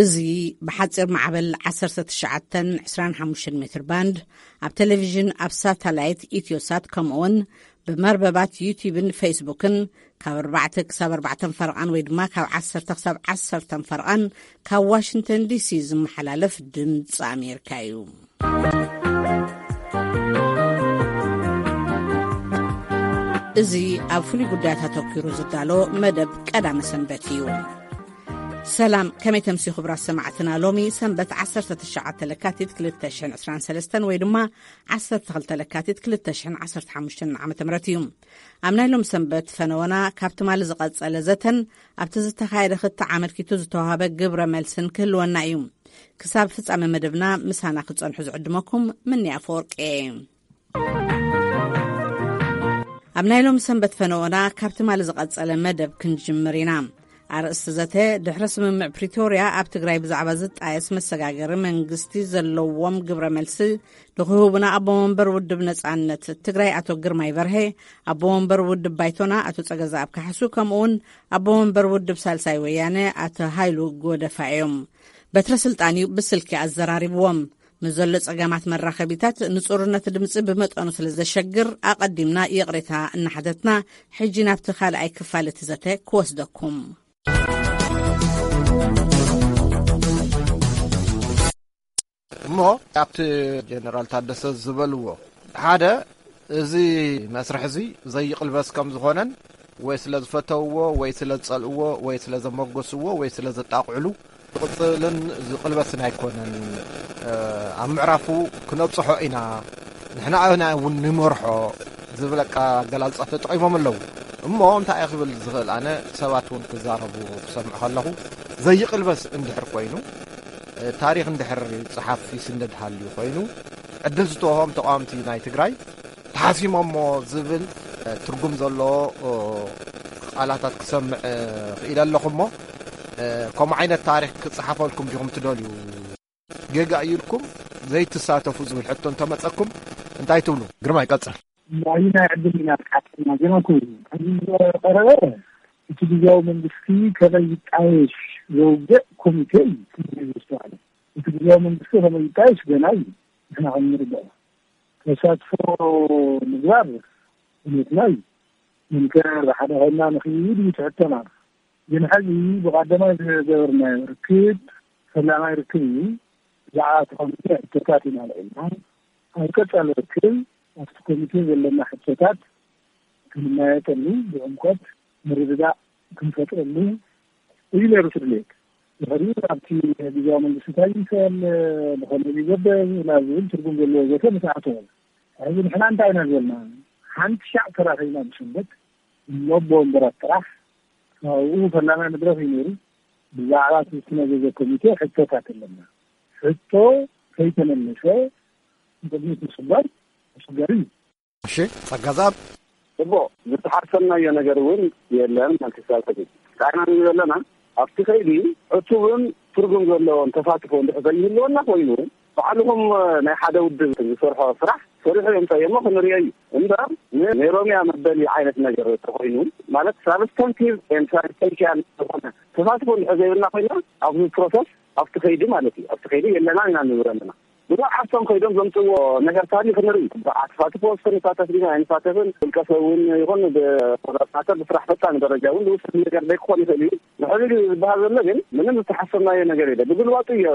እዚ ብሓጺር ማዕበል ዓሰርተ ትሽዓተን ዕስራን ሓሙሽተን ሜትር ባንድ፣ ኣብ ቴሌቪዥን፣ ኣብ ሳተላይት ኢትዮሳት፣ ከምኡውን ብመርበባት ዩቲዩብን ፌስቡክን ካብ ኣርባዕተ ክሳብ ኣርባዕተን ፈረቓን ወይ ድማ ካብ ዓሰርተ ክሳብ ዓሰርተን ፈረቓን ካብ ዋሽንግተን ዲሲ ዝመሓላለፍ ድምፂ ኣሜሪካ እዩ። እዚ ኣብ ፍሉይ ጉዳያት ኣተኲሩ ዝዳሎ መደብ ቀዳመ ሰንበት እዩ። ሰላም፣ ከመይ ተምሲ ክቡራት ሰማዕትና? ሎሚ ሰንበት ዓሰርተ ትሽዓተ ለካቲት ክልተ ሽሕን ዕስራን ሰለስተን ወይ ድማ ዓሰርተ ክልተ ለካቲት ክልተ ሽሕን ዓሰርተ ሓሙሽተን ዓመተ ምህረት እዩ። ኣብ ናይ ሎም ሰንበት ፈነወና ካብ ትማሊ ዝቐጸለ ዘተን ኣብቲ ዝተኻየደ ክትዕ ኣመልኪቱ ዝተዋህበ ግብረ መልስን ክህልወና እዩ። ክሳብ ፍጻመ መደብና ምሳና ክጸንሑ ዝዕድመኩም ምንያ ኣፈወርቂ እየ። ኣብ ናይ ሎም ሰንበት ፈነወና ካብ ትማሊ ዝቐጸለ መደብ ክንጅምር ኢና። ኣርእስቲ ዘተ፣ ድሕሪ ስምምዕ ፕሪቶርያ ኣብ ትግራይ ብዛዕባ ዝጣየስ መሰጋገሪ መንግስቲ ዘለዎም ግብረ መልሲ ንክህቡና ኣቦ መንበር ውድብ ነጻነት ትግራይ ኣቶ ግርማይ በርሄ፣ ኣቦ መንበር ውድብ ባይቶና ኣቶ ጸገዛኣብ ካሕሱ፣ ከምኡውን ኣቦ መንበር ውድብ ሳልሳይ ወያነ ኣቶ ሃይሉ ጎደፋ እዮም። በትረ ስልጣን እዩ ብስልኪ ኣዘራሪብዎም። ንዘሎ ጸገማት መራኸቢታት ንጹርነት ድምጺ ብመጠኑ ስለ ዘሸግር ኣቐዲምና ይቕሬታ እናሓተትና፣ ሕጂ ናብቲ ካልኣይ ክፋል እቲ ዘተ ክወስደኩም። እሞ ኣብቲ ጀነራል ታደሰ ዝበልዎ ሓደ፣ እዚ መስርሕ እዚ ዘይቕልበስ ከም ዝኾነን ወይ ስለ ዝፈተውዎ ወይ ስለ ዝጸልእዎ ወይ ስለ ዘመጎስዎ ወይ ስለ ዘጣቕዕሉ ዝቕጽልን ዝቕልበስን ኣይኮነን። እ፣ ኣብ ምዕራፉ ክነብጽሖ ኢና፣ ንሕና ኣና እውን ንመርሖ ዝብል ኣቀ-፣ ኣገላልጻ ተጠቒሞም ኣለዉ። እሞ እንታይ እየ ክብል ዝኽእል? ኣነ ሰባት እውን ክዛረቡ ክሰምዕ ከለኹ ዘይቕልበስ እንድሕር ኮይኑ፣ እ፣ ታሪኽ እንድሕር ይጽሓፍ ይስነድ ሃልዩ ኮይኑ፣ ዕድል ዝተወሆም ተቓወምቲ ናይ ትግራይ ተሓሲሞሞ ዝብል፣ እ፣ ትርጉም ዘለዎ፣ እ፣ ቃላታት ክሰምዕ፣ እ፣ ክኢለ ኣለኹ። እሞ፣ እ፣ ከምኡ ዓይነት ታሪኽ ክጽሓፈልኩም ዲኹም ትደልዩ? ጌጋ እዩ ኢልኩም ዘይትሳተፉ ዝብል ሕቶ እንተመጸኩም እንታይ ትብሉ? ግርማይ፣ ቀጽል። ናይ ናይ ዕድል ኢና ተሓቲና ገና ኮይኑ ከምዚ ዝቐረበ እቲ ግዜያዊ መንግስቲ ከመይ ይጣየሽ ዘውግዕ ኮሚቴ እዩ ዝስተዋለ። እቲ ግዜያዊ መንግስቲ ከመይ ይጣየሽ ገና እዩ። ንሕና ከም ንርድኦ ተሳትፎ ምግባር ድሌትና እዩ። እንከ ብሓደ ኮይንና ንኽይድ እዩ ትሕተና። ግን ሕዚ ብቐዳማይ ዝገበርናዮ ርክብ ፈላማይ ርክብ እዩ። ብዛዕባ እቲ ኮሚቴ ሕቶታት ኢና ኣልዒልና። ኣብ ቀጻሊ ርክብ ኣብቲ ኮሚቴ ዘለና ሕቶታት ክንመያየጠሉ፣ ብዕምቆት ምርድዳእ ክንፈጥረሉ እዩ ነይሩ እቲ ድሌት። ድሕሪኡ ኣብቲ ግዜያዊ መንግስቲ እንታይ ይምሰል፣ ብኸመይ ይገበር ናብ ዝብል ትርጉም ዘለዎ ዘተ ምስ ኣተወ፣ ሕዚ ንሕና እንታይ ኢና ዝበልና? ሓንቲ ሻዕ ተራኺብና ብሰንበት እሞ ብወንበራት ጥራሕ ካብኡ ፈላማይ መድረኽ እዩ ነይሩ። ብዛዕባ እቲ ዝተመዘዘ ኮሚቴ ሕቶታት ኣለና። ሕቶ ከይተመለሰ ንቅድሚት ምስጓም ኣሸጋሪ እዩ። እሺ፣ ጸጋዛብ። እቦ፣ ዝተሓሰብናዮ ነገር እውን የለን። መልክሳብ ሕዚ እንታይ ኢና ንብል ዘለና? ኣብቲ ከይዲ ዕቱብን ትርጉም ዘለዎን ተሳትፎ እንድሕር ዘይህልወና ኮይኑ፣ ባዕልኹም ናይ ሓደ ውድብ ዝሰርሖ ስራሕ ሰሪሑ የምፀዮ እሞ ክንሪኦ እዩ። እምበር ን-፣ ናይ ኦሮምያ መበሊ ዓይነት ነገር ተኾይኑ፣ ማለት ሳብስታንቲቭ ኤንድ ሳብስታንሻል ዝኾነ ተሳትፎ እንድሕር ዘይብልና ኮይና፣ ኣብዚ ፕሮሰስ፣ ኣብቲ ከይዲ ማለት እዩ፣ ኣብቲ ከይዲ የለና ኢና ንብል ኣለና። ብዛዕባ ዓርሶም ከይዶም ዘምፅዎ ነገር ታሪኽ ንርኢ። ብዓት ፋትፎ ውስጥ ንሳተፍ ዲና ኣይንሳተፍን፣ ውልቀ ሰብ እውን ይኹን ብቆጣጣተር ብስራሕ ፈጻሚ ደረጃ እውን ዝውሰድ ነገር ዘይክኾን ይኽእል እዩ። ንሕዚ ግን ዝበሃል ዘሎ ግን ምንም ዝተሓሰብናዮ ነገር የለ። ብግልባጡ እዮ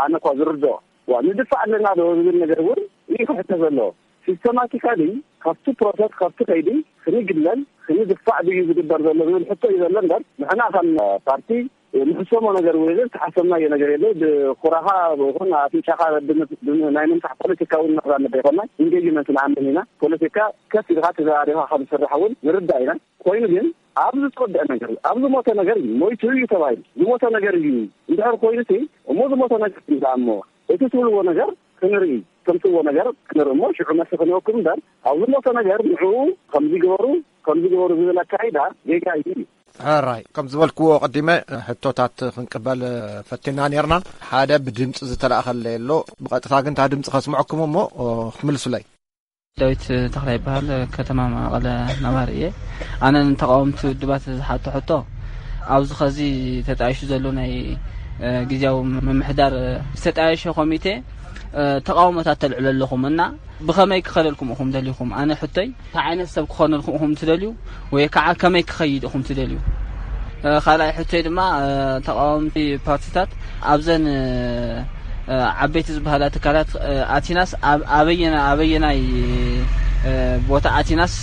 ኣነ እኳ ዝርድኦ። ዋ፣ ንድፋዕ ኣለና ዶ ዝብል ነገር እውን እዩ ክሕተ ዘለዎ። ሲስተማቲካሊ ካብቲ ፕሮሰስ፣ ካብቲ ከይዲ ክንግለል፣ ክንድፋዕ ድዩ ዝግበር ዘሎ ዝብል ሕቶ እዩ ዘሎ እምበር፣ ንሕና ከም ፓርቲ ንሕሰሞ ነገር እውን የለን፣ ዝተሓሰብናዮ ነገር የለን። ብኹራኻ ይኹን ኣፍንጫኻ ብን-፣ ብን-፣ ናይ ምንፋሕ ፖለቲካ እውን ነራምድ ኣይኮናን። ኢንጌጅመንት ንኣምን ኢና። ፖለቲካ ከፍ ኢልካ ተዘራሪብካ ከም ዝስራሕ እውን ንርዳእ ኢና። ኮይኑ ግን ኣብ ዝተወድአ ነገር፣ ኣብ ዝሞተ ነገር እዩ፣ ሞይቱ እዩ ተባሂሉ። ዝሞተ ነገር እዩ እንድሕር ኮይኑ ሲ፣ እሞ ዝሞተ ነገር እዩ ደኣ እሞ፣ እቲ ትብልዎ ነገር ክንርኢ፣ ተምፅዎ ነገር ክንርኢ እሞ ሽዑ መልሲ ክንወክም እምበር፣ ኣብ ዝሞተ ነገር ንዕኡ ከምዚ ግበሩ፣ ከምዚ ግበሩ ዝብል ኣካይዳ ጌጋ እዩ። ሕራይ፣ ከም ዝበልክዎ ቀዲመ ሕቶታት ክንቅበል ፈቲና ኔርና። ሓደ ብድምፂ ዝተላእኸለይ ኣሎ፣ ብቐጥታ ግን እታ ድምፂ ከስምዐኩም እሞ ክምልሱለይ። ዳዊት ተኽላይ ይበሃል፣ ከተማ መቐለ ነባሪ እየ። ኣነ ንተቓወምቲ ውድባት ዝሓቶ ሕቶ፣ ኣብዚ ኸዚ ተጣይሹ ዘሎ ናይ ግዜያዊ ምምሕዳር ዝተጣየሸ ኮሚቴ ተቃውሞታት ተልዕሉ ኣለኹም እና ብኸመይ ክኸደልኩም ኢኹም ደሊኹም? ኣነ ሕቶይ እንታይ ዓይነት ሰብ ክኾነልኩም ኢኹም ትደልዩ ወይ ከዓ ከመይ ክኸይድ ኢኹም ትደልዩ? ካልኣይ ሕቶይ ድማ ተቃወምቲ ፓርቲታት ኣብዘን ዓበይቲ ዝበሃላ ትካላት ኣቲናስ ኣበየናይ ኣበየናይ ቦታ ኣቲናስ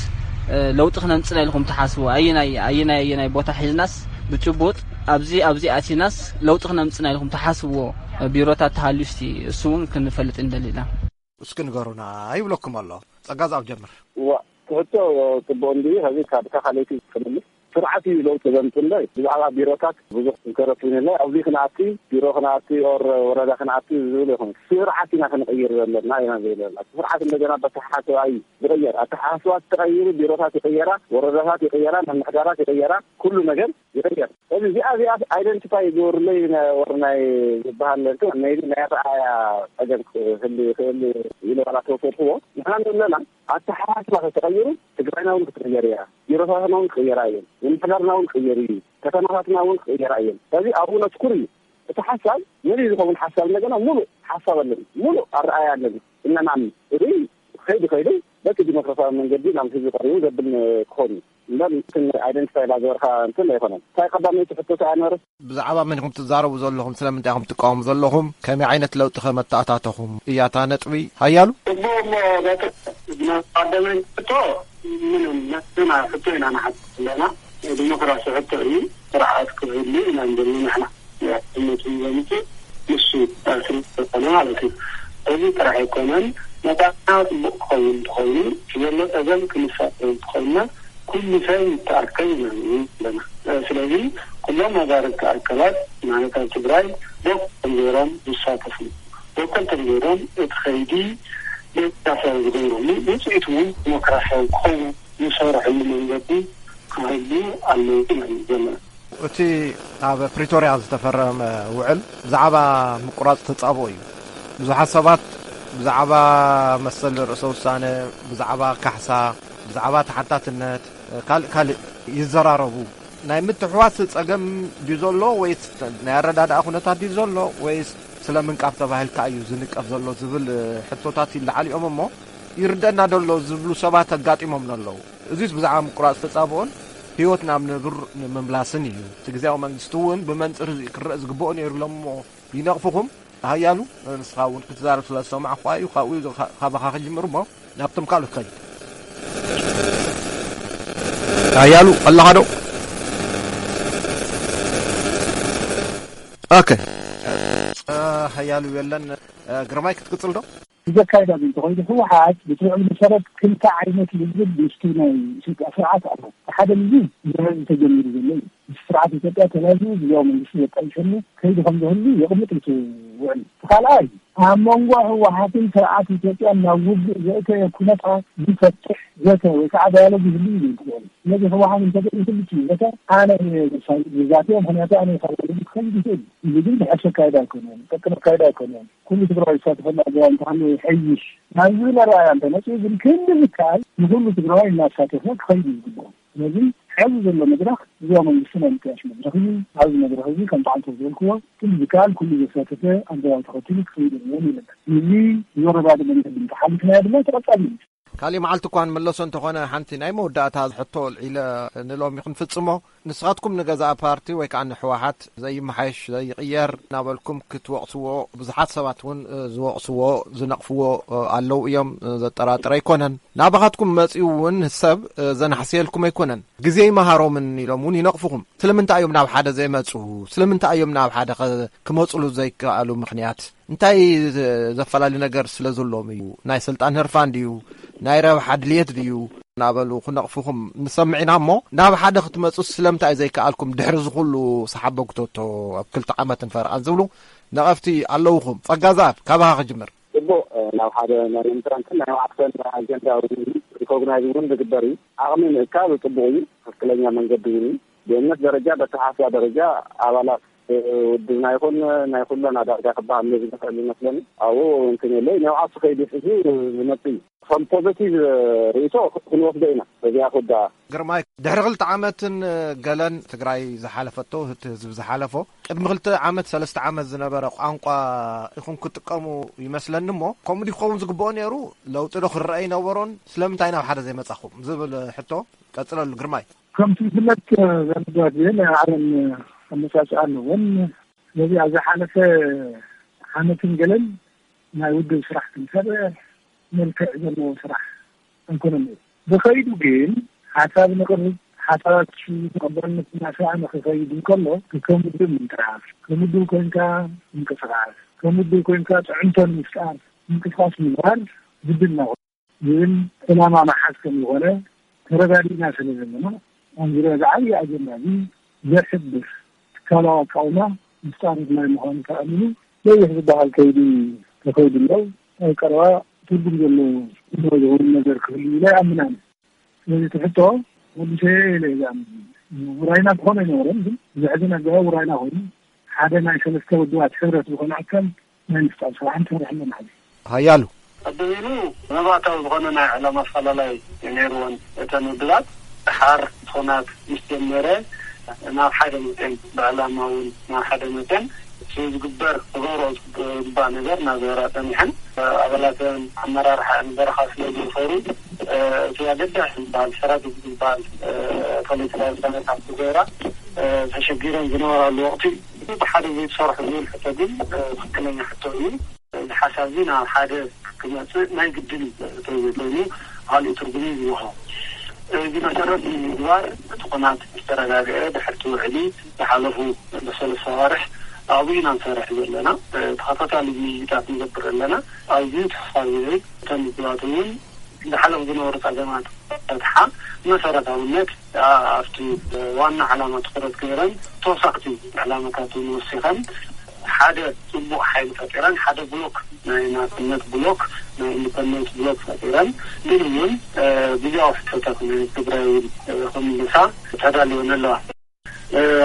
ለውጢ ክነምፅእ ኢልኩም ትሓስቡ? ኣየናይ ኣየናይ ኣየናይ ቦታ ሒዝናስ ብጭቡጥ ኣብዚ ኣብዚ ኣቲናስ ለውጢ ክነምፅእ ኢልኩም ትሓስብዎ ቢሮታት ተሃልዩ እስቲ እሱ እውን ክንፈልጥ ንደሊ ኢና። እስኪ ንገሩና ይብለኩም ኣሎ። ጸጋ ዝኣብ ጀምር። እዋ፣ ትሕቶ ጽቡቕ እንድዩ። ሕዚ ካብ እታ ካልኣይቲ ክምልስ፣ ስርዓት እዩ ለውጢ ዘምጽእ እምበር ብዛዕባ ቢሮታት ብዙሕ ዝተረፍ የለ። ኣብዚ ክንኣቲ፣ ቢሮ ክንኣቲ ኦር ወረዳ ክንኣቲ ዝብል ይኹን፣ ስርዓት ኢና ክንቕይር ዘለና ኢና ዘለና። ስርዓት እንደገና በተሓሓሰባ እዩ ዝቕየር። ኣተሓሓስባ ተቐይሩ፣ ቢሮታት ይቕየራ፣ ወረዳታት ይቕየራ፣ ምምሕዳራት ይቕየራ፣ ኩሉ ነገር ይቕየር። እዚ እዚኣ እዚኣ ኣይደንቲፋይ ይገብሩለይ ወር ናይ ዝበሃል እንትን ናይ ናይ ኣረኣያ ጸገም ክህሉ ይኽእል ኢለ ዋላ ተወሰድክዎ። ንሕና ንብለና ኣተሓሳስባ ተተቐይሩ ትግራይና እውን ክትቕየር እያ፣ ቢሮታትና እውን ክቕየራ እየን፣ ምምሕዳርና እውን ክቕየር እዩ፣ ከተማታትና እውን ክቕየራ እየን። ስለዚ ኣብኡ ነትኩር እዩ እቲ ሓሳብ። ነዚ ዝኸውን ሓሳብ እንደገና ሙሉእ ሓሳብ ኣለኒ፣ ሙሉእ ኣረኣያ ኣለኒ። እነናም እዚ ከይዱ ከይዱ በቲ ዲሞክራሲያዊ መንገዲ ናብ ህዝቢ ቀሪቡ ዘብል ክኾን እዩ። እምበር እንትን ኣይደንቲፋይ ላገበርካ እንትን ኣይኮነን። እንታይ ቀዳመይቲ ሕቶ እንታይ ኣነበረት? ብዛዕባ መን ኢኹም ትዛረቡ ዘለኹም? ስለምንታይ ኢኹም ትቃወሙ ዘለኹም? ከመይ ዓይነት ለውጢ ከ መተኣታተኹም እያ እታ ነጥቢ? ሃያሉ? እሞ በቲ ቀዳመይቲ ሕቶ ምንም ነትና ሕቶ ኢና ንሓትት ዘለና። ናይ ዲሞክራሲ ሕቶ እዩ። ስርዓት ክህሉ ኢና ንደሊ ንሕና። እምነቱ ዘምፅእ ንሱ ስለ ዝኾነ ማለት እዩ። እዚ ጥራሕ ኣይኮነን፣ መጻኢና ጽቡቕ ክኸውን እንተኾይኑ፣ ዘሎ ጸገም ክንፈጥር እንተኾይንና፣ ኩሉ ሰብ ይተኣከብ ኢና ንብል ዘለና። ስለዚ ኩሎም መዛረብቲ ኣካላት ማለት ኣብ ትግራይ በኩል ገይሮም ዝሳተፉ፣ በኩል ገይሮም እቲ ከይዲ ዴሞክራሲያዊ ዝገብርሉ፣ ውፅኢቱ እውን ዲሞክራሲያዊ ክኸውን ዝሰርሕሉ መንገዲ ክህሉ ኣለዎ ኢና ንብል ዘለና። እቲ ኣብ ፕሪቶርያ ዝተፈረመ ውዕል ብዛዕባ ምቁራጽ ተጻብኦ እዩ። ብዙሓት ሰባት ብዛዕባ መሰል ርእሰ ውሳነ፣ ብዛዕባ ካሕሳ፣ ብዛዕባ ተሓታትነት፣ ካልእ ካልእ ይዘራረቡ። ናይ ምትሕዋስ ጸገም ድዩ ዘሎ ወይስ ናይ ኣረዳድኣ ኩነታት ድዩ ዘሎ ወይስ ስለ ምንቃፍ ተባሂልካ እዩ ዝንቀፍ ዘሎ ዝብል ሕቶታት ይለዓል እዮም እሞ ይርደና ደሎ ዝብሉ ሰባት ኣጋጢሞም ኣለዉ። እዚስ ብዛዕባ ምቁራጽ ተጻብኦን ህይወት ናብ ንቡር ንምምላስን እዩ። እቲ ግዝያዊ መንግስቲ እውን ብመንጽር እዚ ክረአ ዝግብኦ ነይሩ ኢሎም እሞ ይነቕፍኹም። ሃያሉ ንስኻ እውን ክትዛረብ ስለ ዝሰማዕኩኻ እዩ። ካብኡ ካባኻ ክጅምር እሞ ናብቶም ካልኦት ከይድ። ሃያሉ ኣለኻ ዶ? ኦኬ። ሃያሉ የለን። ግርማይ ክትቅጽል ዶ? ብዘካይዳ ግን እንተኾይኑ ህወሓት ብትውዕል መሰረት ክልተ ዓይነት ልዝብ ምስቲ ናይ ኢትዮጵያ ስርዓት ኣሎ። ሓደ ልዝብ ብህዝቢ ተጀሚሩ ዘሎ እዩ። ምስ ስርዓት ኢትዮጵያ ተላዚቡ ግዝያዊ መንግስቲ ዘጣይሸሉ ከይዲ ከም ዝህሉ የቕምጥ እቲ ውዕል። እቲ ካልኣይ ኣብ መንጎ ህወሓትን ስርዓት ኢትዮጵያን ናብ ውግእ ዘእተየ ኩነታት ዝፈትሕ ዘተ ወይ ከዓ ዳያሎግ ይህሉ እዩ ዝብል ትውዕል። ስለዚ ህወሓት እንተገይሩ ክልቲኡ ዘተ ኣነ እየ ዘሳልጥ ዝዛትዮ፣ ምክንያቱ ኣነ ካብ ወለዲ ክኸይድ ይኽእል እዩ ዝብል ብሕቶ ኣካይዳ ኣይኮነን፣ ጠቅም ኣካይዳ ኣይኮነን። ኩሉ ትግራዋይ ዝሳተፈሉ ኣገባብ እንተሃለወ ይሐይሽ ናብ ዝብል ኣረኣእያ እንተመፅኡ ግን ክንዲ ዝከኣል ንኩሉ ትግራዋይ እናሳተፈ ክኸይድ እዩ ዝግብኦ። ስለዚ ሕዚ ዘሎ መድረኽ ግዝያዊ መንግስቲ ናይ ምጥያሽ መድረኽ እዩ። ኣብዚ መድረኽ እዚ ከምቲ ዓንቶ ዝበልክዎ ክንዲ ዝከኣል ኩሉ ዘሳተፈ ኣገባብ ተኸቲሉ ክኸይድ ኣለዎ ንብል። እዚ ዘረዳድእ መንገዲ እንተሓሊፍናዮ ድማ ተቐጻሊ እዩ። ካሊእ መዓልቲ እኳ ንመለሶ እንተኾነ፣ ሓንቲ ናይ መወዳእታ ሕቶ ኣልዒለ ንሎሚ ክንፍጽሞ፣ ንስኻትኩም ንገዛእ ፓርቲ ወይ ከኣ ንህወሓት ዘይመሓየሽ፣ ዘይቕየር እናበልኩም ክትወቕስዎ፣ ብዙሓት ሰባት እውን ዝወቕስዎ፣ ዝነቕፍዎ ኣለዉ እዮም። ዘጠራጥር ኣይኮነን። ናባኻትኩም መጺኡ እውን ሰብ ዘናሕስየልኩም ኣይኮነን። ግዜ ይመሃሮምን ኢሎም እውን ይነቕፍኹም። ስለምንታይ እዮም ናብ ሓደ ዘይመጹ? ስለምንታይ እዮም ናብ ሓደ ኸ ክመጹሉ ዘይከኣሉ ምኽንያት? እንታይ ዘ-፣ ዘፈላለ ነገር ስለ ዘለዎም እዩ? ናይ ስልጣን ህርፋን ድዩ? ናይ ረብሓ ድልየት ድዩ? እናበሉ ክነቕፉኹም ንሰምዕ ኢና እሞ፣ ናብ ሓደ ክትመጹ ስለምንታይ ዘይከኣልኩም? ድሕሪ እዚ ኩሉ ሰሓቦ ጉቶቶ ኣብ ክልተ ዓመትን ፈረቓን ዝብሉ ነቐፍቲ ኣለውኹም። ጸጋ ዘኣብ፣ ካባኻ ክጅምር። ጽቡቕ፣ ናብ ሓደ ናይ ምምጥራንትን ናይ ማዕርፈን ኣጀንዳ እውን ሪኮግናይዝ እውን ዝግበር እዩ። ዓቕሚ ምእካብ ጽቡቕ እዩ፣ ትኽክለኛ መንገዲ እውን እዩ። ብእምነት ደረጃ፣ በተሓሳስባ ደረጃ ኣባላት ውድብና ይኹን ናይ ኩለና ዳርጋ ክበሃል ዝኽእል ይመስለኒ። ኣብኡ እንትን የለ፣ ንብዓት ክኸይድ ይሕዙ ዝመጽእ እዩ። ከም ፖዘቲቭ ርእይቶ ክንወስዶ ኢና በዚኣ ኩዳ። ግርማይ፣ ድሕሪ ክልተ ዓመትን ገለን ትግራይ ዝሓለፈቶ፣ እቲ ህዝቢ ዝሓለፎ፣ ቅድሚ ክልተ ዓመት ሰለስተ ዓመት ዝነበረ ቋንቋ ኢኹም ክትጥቀሙ ይመስለኒ። እሞ ከምኡ ድዩ ክኸውን ዝግብኦ ነይሩ? ለውጢ ዶ ክረአ ይነበሮን? ስለምንታይ ናብ ሓደ ዘይመጻኹም ዝብል ሕቶ ቀጽለሉ ግርማይ። ከምቲ ዝፍለጥ፣ ዘመድባት ናይ ዓለም ኣመጻጽኣ ኣለዎን። ስለዚ ኣብ ዝሓለፈ ዓመትን ገለን ናይ ውድብ ስራሕ ክንሰርሕ መልክዕ ዘለዎ ስራሕ ኣይኮነን። ብኸይዱ ግን ሓሳብ ንቕርብ፣ ሓሳባት ተቐባልነት እናሰኣነ ክኸይድ እንከሎ፣ ከም ውድብ ምንጣፍ፣ ከም ውድብ ኮንካ ምንቅስቃስ፣ ከም ውድብ ኮንካ ፅዕንቶ ንምፍጣር ምንቅስቃስ ምግባር ግድን ነው ዝብል ዕላማ መሓዝ ከም ዝኾነ ተረዳዲእና ስለ ዘለና፣ ኣብ ዙርያ እዚ ዓብዪ ኣጀንዳ እዚ ዘሕብር ትካላዊ ኣቃውማ ምፍጣር ኣድላይ ምዃኑ ተኣሚኑ ነዊሕ ዝበሃል ከይዲ ተኸይዱ ኣሎ። ኣብ ቀረባ ትርጉም ዘለዎ ዝኾነ ነገር ክህሉ ኢለ ኣይኣምናን። ስለዚ እቲ ሕቶ መልሰ ኢለ እየ ዝኣምን። ውራይና ክኾነ ኣይነበረን፣ ግን ዘሕዝን ኣገባብ ውራይና ኮይኑ ሓደ ናይ ሰለስተ ውድባት ሕብረት ዝኾነ ኣካል ናይ ምፍጣር ስራሕ ንሰርሕ ኣለና። ሃያሉ ኣበይኑ መባእታዊ ዝኾነ ናይ ዕላማ ኣፈላላይ ነይርወን እተን ውድባት። ድሓር ኾናት ምስ ጀመረ ናብ ሓደ መፅኤን፣ ብዕላማ እውን ናብ ሓደ መፅኤን። እቲ ዝግበር ክገብሮ ዝግባእ ነገር እናገበራ ፀኒሐን። ኣባላተን ኣመራርሓ በረኻ ስለ ዝወፈሩ፣ እቲ ኣገዳሲ ዝበሃል ስትራቴጂ ዝበሃል ፖለቲካዊ ውሳነታት ክገብራ ተሸጊረን ዝነበራሉ ወቕቲ እዩ። ብሓደ ዘይተሰርሑ ዝብል ሕቶ ግን ትክክለኛ ሕቶ እዩ። እዚ ሓሳብ እዚ ናብ ሓደ ክመፅእ ናይ ግድን እዩ። እንተዘይኮይኑ ካልእ ትርጉም እዩ ዝወሃቦ። እዚ መሰረት ንምግባር እቲ ኩናት ዝተረጋግዐ ድሕርቲ ውዕሊ ዝሓለፉ ብሰለስተ ኣዋርሕ ኣብኡ ኢና ንሰርሕ ዘለና። ተኸታታሊ ምይይጣት ንገብር ኣለና። ኣዝዩ ተስፋ ዝህብ፣ እተን ውድባት እውን ዝሓለፉ ዝነበሩ ጸገማት ፈትሓ መሰረታውነት ኣብቲ ዋና ዕላማ ትኹረት ገይረን ተወሳኽቲ ዕላማታት እውን ወሲኸን ሓደ ጽቡቕ ሓይሊ ፈጢረን ሓደ ብሎክ ናይ ናጽነት ብሎክ ናይ ኢንዲፐንደንስ ብሎክ ፈጢረን ግን እውን ግዜያዊ ሕቶታት ናይ ትግራይ እውን ክምልሳ ተዳልወን ኣለዋ።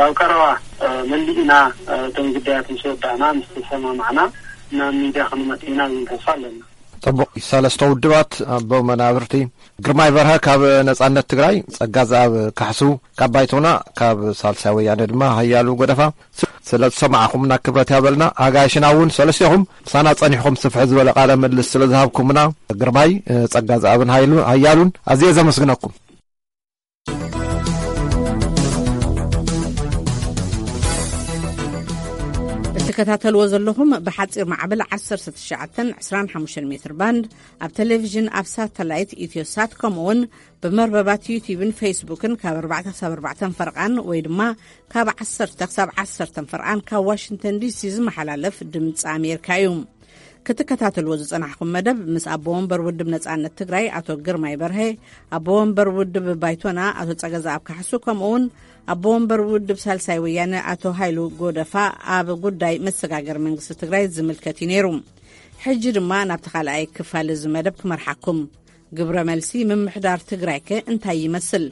ኣብ ቀረባ መሊእና እቶም ጉዳያት ምስ ወዳእና ምስ ተሰማማዕና ናብ ሚድያ ክንመጽእ ኢና ዝብል ተስፋ ኣለና። ጽቡቕ። ሰለስተ ውድባት ኣቦ መናብርቲ ግርማይ በርሀ ካብ ነጻነት ትግራይ፣ ጸጋዝኣብ ካሕሱ ካብ ባይቶና፣ ካብ ሳልሳይ ወያነ ድማ ሃያሉ ጎደፋ፣ ስ-፣ ስለ ዝሰማዕኹምና ክብረት ያበልና። ኣጋይሽና እውን ሰለስቴኹም ምሳና ጸኒሕኩም ስፍሕ ዝበለ ቃለ ምልልስ ስለ ዝሃብኩምና ግርማይ፣ ጸጋዝኣብን ሃይሉ-፣ ሃያሉን ኣዝየ ዘመስግነኩም። እትከታተልዎ ዘለኹም ብሓፂር ማዕበል ዓሰርተ ትሽዓተን ዕስራን ሓሙሽተን ሜትር ባንድ ኣብ ቴሌቪዥን፣ ኣብ ሳተላይት ኢትዮሳት፣ ከምኡ እውን ብመርበባት ዩቲዩብን ፌስቡክን ካብ ኣርባዕተ ክሳብ ኣርባዕተ ፈርቓን ወይ ድማ ካብ ዓሰርተ ክሳብ ዓሰርተ ፈርቓን ካብ ዋሽንግተን ዲሲ ዝመሓላለፍ ድምፂ ኣሜሪካ እዩ። ክትከታተልዎ ዝጸናሕኩም መደብ ምስ ኣቦ ወንበር ውድብ ነጻነት ትግራይ ኣቶ ግርማይ በርሀ፣ ኣቦ ወንበር ውድብ ባይቶና ኣቶ ጸገዛኣብ ካሕሱ፣ ከምኡ እውን ኣቦ ወንበር ውድብ ሳልሳይ ወያነ ኣቶ ሃይሉ ጎደፋ ኣብ ጉዳይ መሰጋገሪ መንግስቲ ትግራይ ዝምልከት እዩ ነይሩ። ሕጂ ድማ ናብቲ ካልኣይ ክፋል እዚ መደብ ክመርሓኩም። ግብረ መልሲ ምምሕዳር ትግራይከ እንታይ ይመስል?